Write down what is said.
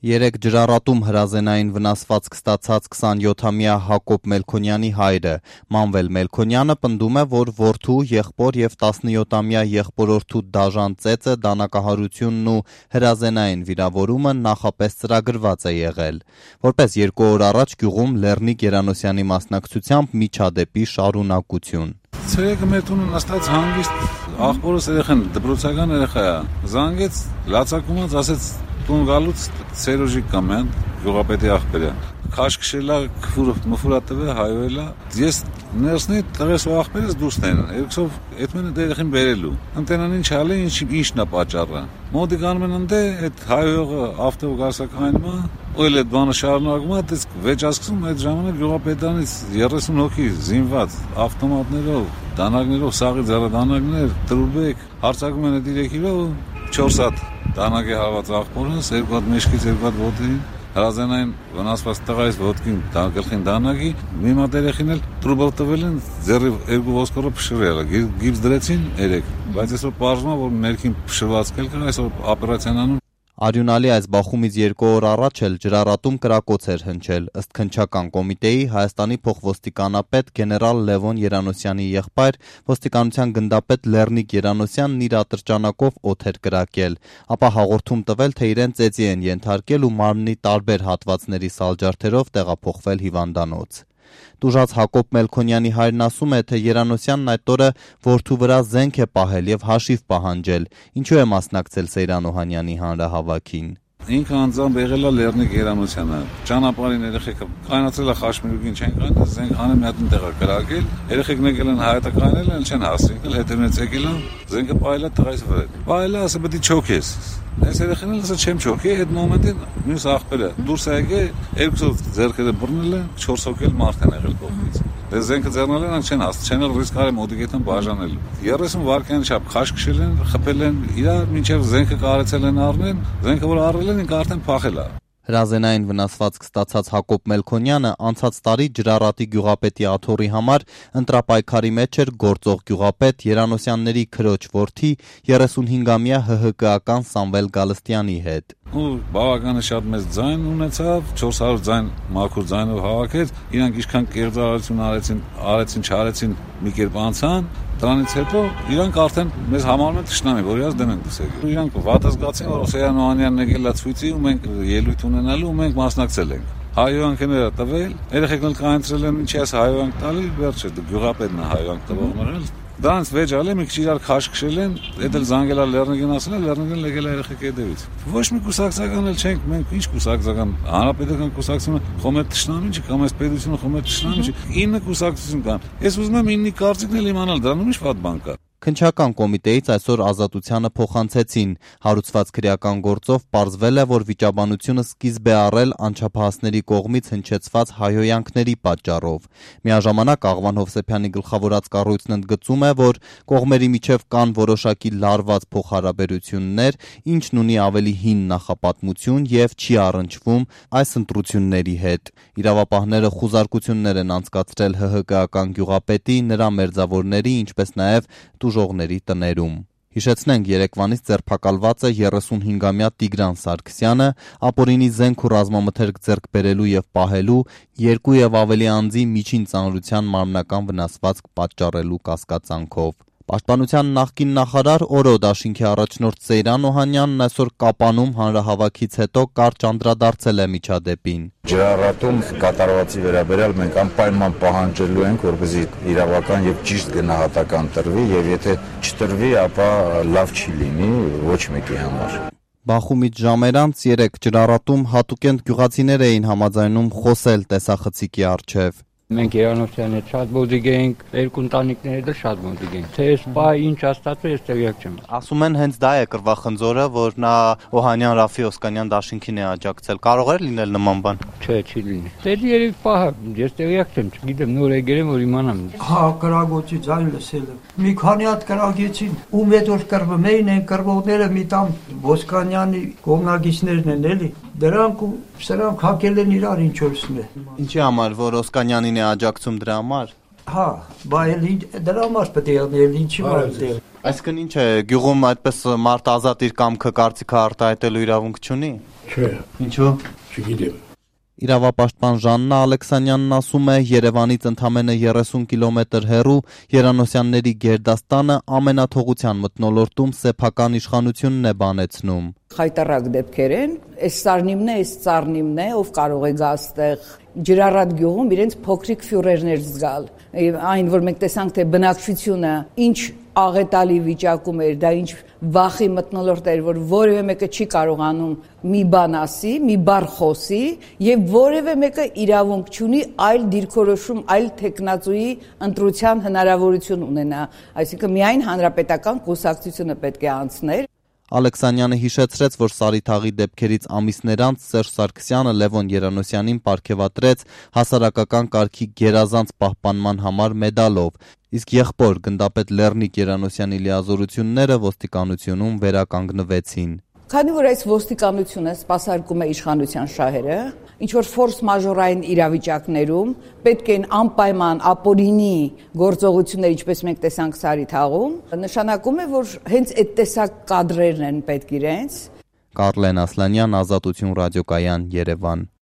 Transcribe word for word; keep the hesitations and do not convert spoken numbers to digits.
Երեկ ջրառատում հրազենային վնասվածք ստացած քսանյոթամյա Հակոբ Մելքոնյանի հայրը Մանվել Մելքոնյանը պնդում է, որ որդու, եղբոր եւ տասնյոթամյա եղբորորդու դաժան ծեծը, դանակահարությունն ու հրազենային վիրավորումը նախապես ծրագրված է եղել։ Որպես երկու օր առաջ գյուղում Լեռնիկ Երանոսյանի մասնակցությամբ միջադեպի շարունակություն։ Ցերեկը մեր տունը նստած հանգիստ աղբորս երեխան դպրոցական երեխա է։ Զանգեց, լացակումած ասեց տուն գալուց Սերոժի կամեն, գյուղապետի աղբերը։ Քաշ քշելա, քֆուրը մֆուրա տվե, հայոյելա։ Ես ներսնի տղես ու աղբերս դուրս տեն։ Երկսով այդ մենը երեխին բերելու։ Ընտենան ինչ ալի, ինչ ինչն է պատճառը։ Մոդի գանում են ընդ այդ հայոյողը ավտով գարսակայինը, ու էլ այդ բանը շարունակում է, դες վեճ ասկսում այդ ժամանակ գյուղապետանից երեսուն հոգի զինված ավտոմատներով, դանակներով, սաղի ձեռադանակներ, տրուբեք, հարցակում են այդ երեք կիլո, չորս հատ դանակ է հավաց աղբորս, երկու հատ մեջքից, երկու հատ ոտի, հրազենային վնասված տղայից ոտքին գլխին դանակի, մի մատ երեխին էլ տրուբով տվել են, ձեռի երկու ոսկորը փշրել, գիպս դրեցին երեք, բայց այսօր պարզվում է, որ ներքին փշրված կել կա, այսօր օպերացիան անում։ Արյունալի այս բախումից երկու օր առաջ էլ ջրառատում կրակոց էր հնչել, ըստ քննչական կոմիտեի Հայաստանի փոխոստիկանապետ գեներալ Լևոն Երանոսյանի եղբայր ոստիկանության գնդապետ Լեռնիկ Երանոսյանն իր ատրճանակով օդ էր կրակել, ապա հաղորդում տվել, թե իրեն ծեծի են ենթարկել ու մարմնի տարբեր հատվածների սալջարդերով տեղափոխվել հիվանդանոց։ Տուժած Հակոբ Մելքոնյանի հայրն ասում է, թե Երանոսյանն այդ օրը որդու վրա զենք է պահել եւ հաշիվ պահանջել, ինչու է մասնակցել Սեյրան Օհանյանի հանրահավաքին։ Ինքը անձամբ եղել է Լեռնիկ Երանոսյանը, ճանապարհին երեխեքը կանացել է խաշմիրուկին չեն կանել, զենք հանը մի հատ տեղ կրակել, երեխեքն եկել են հայտականել են, չեն հասցրել, հետևից եկել են, զենքը պահել է տղայից վրա։ Պահել է, ասա պետք է չոքես։ Այս երեխան էլ ասա չեմ չոքի, այդ մոմենտին մյուս աղբերը դուրս է եկել, երկուսով ձեռքերը բռնել են, չորս հոգել մարդ են եղել կողմից։ Դե զենքը ձեռնել են, չեն հասցրել, չեն էլ ռիսկ արել մոդիկետան բաժանել։ երեսուն վայրկյանի չափ քաշ քշել են, խփել են, իրար մինչև զենքը կարեցել են առնել, զենքը որ առել են, ինքը արդեն փախել է։ Հրազենային վնասվածք ստացած Հակոբ Մելքոնյանը անցած տարի Ջրառատի գյուղապետի աթոռի համար ընտրապայքարի մեջ էր գործող գյուղապետ Երանոսյանների քրոջ որդի երեսունհինգամյա ՀՀԿ-ական Սամվել Գալստյանի հետ։ Ու բավականին շատ մեծ ձայն ունեցավ, չորս հարյուր ձայն մաքուր ձայնով հավաքեց, իրանք ինչքան կերծարարություն արեցին, արեցին, չարեցին, մի կերպ անցան, դրանից հետո իրանք արդեն մեզ համարում են թշնամի, որ իրաց դեմ են դուսել։ Իրանք վատ զգացին, որ Սեյրան Օհանյանն եկել է ցույցի ու մենք ելույթ ունենալու ու մենք մասնակցել ենք։ Հայոյանքները տվել, երեխեքն էլ կանցրել են, ինչի՞ է հայոյանք տալի, վերջը գյուղապետն է հայոյանք տվողներն։ Դրանց վեճ ալի մի քիչ իրար քաշ քշել են, դա էլ զանգելա Լեռնիկին ասել են, Լեռնիկին եկել է երեխեքի հետևից։ Ոչ մի կուսակցական էլ չենք, մենք ինչ կուսակցական, հանրապետական կուսակցությունը խոմեր թշնամին չի, կամ այս պետությունը խոմեր թշնամին չի, ինը կուսակցություն կան։ Ես ուզում եմ իննի կարծիքն էլ իմանալ, դրանում ինչ վատ բան կա։ Քննչական կոմիտեից այսօր Ազատությանը փոխանցեցին։ Հարուցված քրեական գործով պարզվել է, որ վիճաբանությունը սկիզբ է առել անչափահասների կողմից հնչեցված հայհոյանքների պատճառով։ Միաժամանակ Աղվան Հովսեփյանի գլխավորած կառույցն ընդգծում է, որ կողմերի միջև կան որոշակի լարված փոխհարաբերություններ, ինչն ունի ավելի հին նախապատմություն եւ չի առնչվում այս ընտրությունների հետ։ Իրավապահները խուզարկություններ են անցկացրել ՀՀԿ-ական գյուղապետի, նրա մերձավորների, ինչպես նաեւ տուժողների տներում։ Հիշեցնենք, երեկվանից ձերբակալված է երեսունհինգամյա Տիգրան Սարգսյանը, ապօրինի զենք ու ռազմամթերք ձեռք բերելու եւ պահելու, երկու եւ ավելի անձի միջին ծանրության մարմնական վնասվածք պատճառելու կասկածանքով։ Պաշտպանության նախկին նախարար Օրո դաշինքի առաջնորդ Սեյրան Օհանյանն այսօր Կապանում հանրահավաքից հետո կարճ անդրադարձել է միջադեպին։ Ջրառատում կատարվածի վերաբերյալ մենք անպայման պահանջելու ենք, որպեսզի իրավական եւ ճիշտ գնահատական տրվի եւ եթե չտրվի, ապա լավ չի լինի ոչ մեկի համար։ Բախումից ժամեր անց երեկ Ջրառատում հատուկենտ գյուղացիներ էին համաձայնում խոսել տեսախցիկի առջև։ Մենք Երանոսյանի հետ շատ մոդիկ էինք, երկու ընտանիքների հետ շատ մոդիկ էինք։ Թե այս պահ ինչ աստացու ես տեղյակ չեմ։ Ասում են հենց դա է կռվախնձորը, որ նա Օհանյան Ռաֆի Օսկանյան դաշինքին է աջակցել։ Կարող է լինել նման բան։ Չէ, չի լինի։ Դե երեք պահ ես տեղյակ չեմ, չգիտեմ, նոր եկել եմ, որ իմանամ։ Հա, կրակոցի ձայն լսել եմ։ Մի քանի հատ կրակեցին, ում հետ որ կռվում էին, այն կռվողները մի տամ Օսկանյանի կողմնակիցներն են էլի։ Դրանք ու սրանք հակել են իրար ինչ որսն է։ Ինչի համար, որ Օսկանյանին է աջակցում դրա համար։ Հա, բա էլի դրա համար պետք է անի, էլի ինչի մարդ։ Այսինքն ինչ է, գյուղում այդպես մարդ ազատ իր կամքը կարծիքը արտահայտելու իրավունք չունի։ Չէ։ Ինչու։ Չգիտեմ։ Իրավապաշտպան Ժաննա Ալեքսանյանն ասում է, Երևանից ընդամենը երեսուն կիլոմետր հեռու Երանոսյանների գերդաստանը ամենաթողության մթնոլորտում սեփական իշխանությունն է բանեցնում։ Խայտարակ դեպքեր են, այս սարնիմն է, այս ծառնիմն է, ով կարող է գա այստեղ Ջրառատ գյուղում իրենց փոքրիկ ֆյուրերներ զգալ։ Այն, որ մենք տեսանք, թե բնակչությունը ինչ աղետալի վիճակում էր, դա ինչ վախի մթնոլորտ էր, որ որևէ մեկը չի կարողանում մի բան ասի, մի բառ խոսի եւ որևէ մեկը իրավունք չունի այլ դիրքորոշում, այլ տեխնացուի ընտրության հնարավորություն ունենա, այսինքն միայն հանրապետական կուսակցությունը պետք է անցներ։ Ալեքսանյանը հիշեցրեց, որ Սարիթաղի դեպքերից ամիսներ անց Սերժ Սարգսյանը Լևոն Երանոսյանին պարգևատրեց հասարակական կարգի գերազանց պահպանման համար մեդալով, իսկ եղբոր գնդապետ Լեռնիկ Երանոսյանի լիազորությունները ոստիկանությունում վերականգնվեցին։ Քանի որ այս ոստիկանությունը սպասարկում է իշխանության շահերը, ինչ որ ֆորս մաժորային իրավիճակներում պետք են անպայման ապօրինի գործողություններ, ինչպես մենք տեսանք Սարիթաղում, նշանակում է, որ հենց այդ տեսակ կադրերն են պետք իրենց։ Կարլեն Ասլանյան, Ազատություն ռադիոկայան, Երևան։